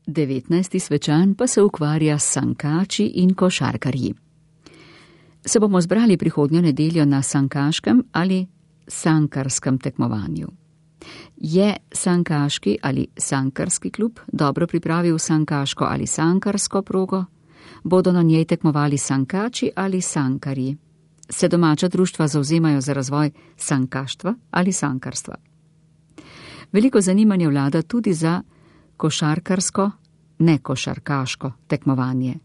19. svečan pa se ukvarja s sankači in košarkarji. Se bomo zbrali prihodnjo nedeljo na sankaškem ali sankarskem tekmovanju. Je sankaški ali sankarski klub dobro pripravil sankaško ali sankarsko progo? Bodo na njej tekmovali sankači ali sankarji? Se domača društva zavzemajo za razvoj sankaštva ali sankarstva? Veliko zanimanja vlada tudi za košarkarsko, nekošarkaško tekmovanje.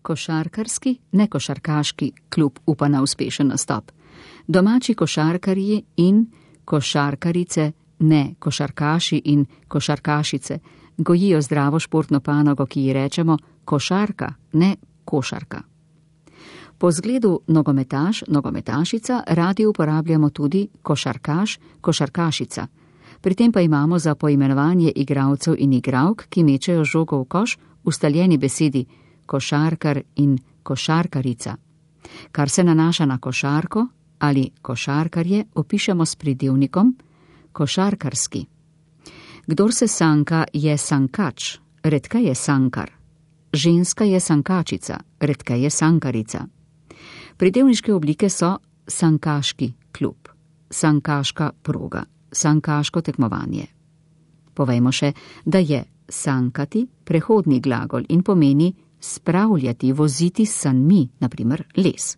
Košarkarski, nekošarkaški klub upa na uspešen nastop. Domači košarkarji in košarkarice, ne košarkaši in košarkašice, gojijo zdravo športno panogo, ki ji rečemo košarka, ne košarka. Po zgledu nogometaš, nogometašica radi uporabljamo tudi košarkaš, košarkašica. Pri tem pa imamo za poimenovanje igralcev in igralk, ki mečejo žogo v koš, ustaljeni besedi košarkar in košarkarica. Kar se nanaša na košarko ali košarkarje, opišemo s pridevnikom košarkarski. Kdor se sanka, je sankač, redka je sankar. Ženska je sankačica, redka je sankarica. Pridevniške oblike so sankaški klub, sankaška proga, sankaško tekmovanje. Povejmo še, da je sankati prehodni glagol in pomeni spravljati, voziti s sanmi, naprimer les.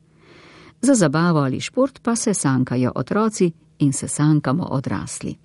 Za zabavo ali šport pa se sankajo otroci in se sankamo odrasli.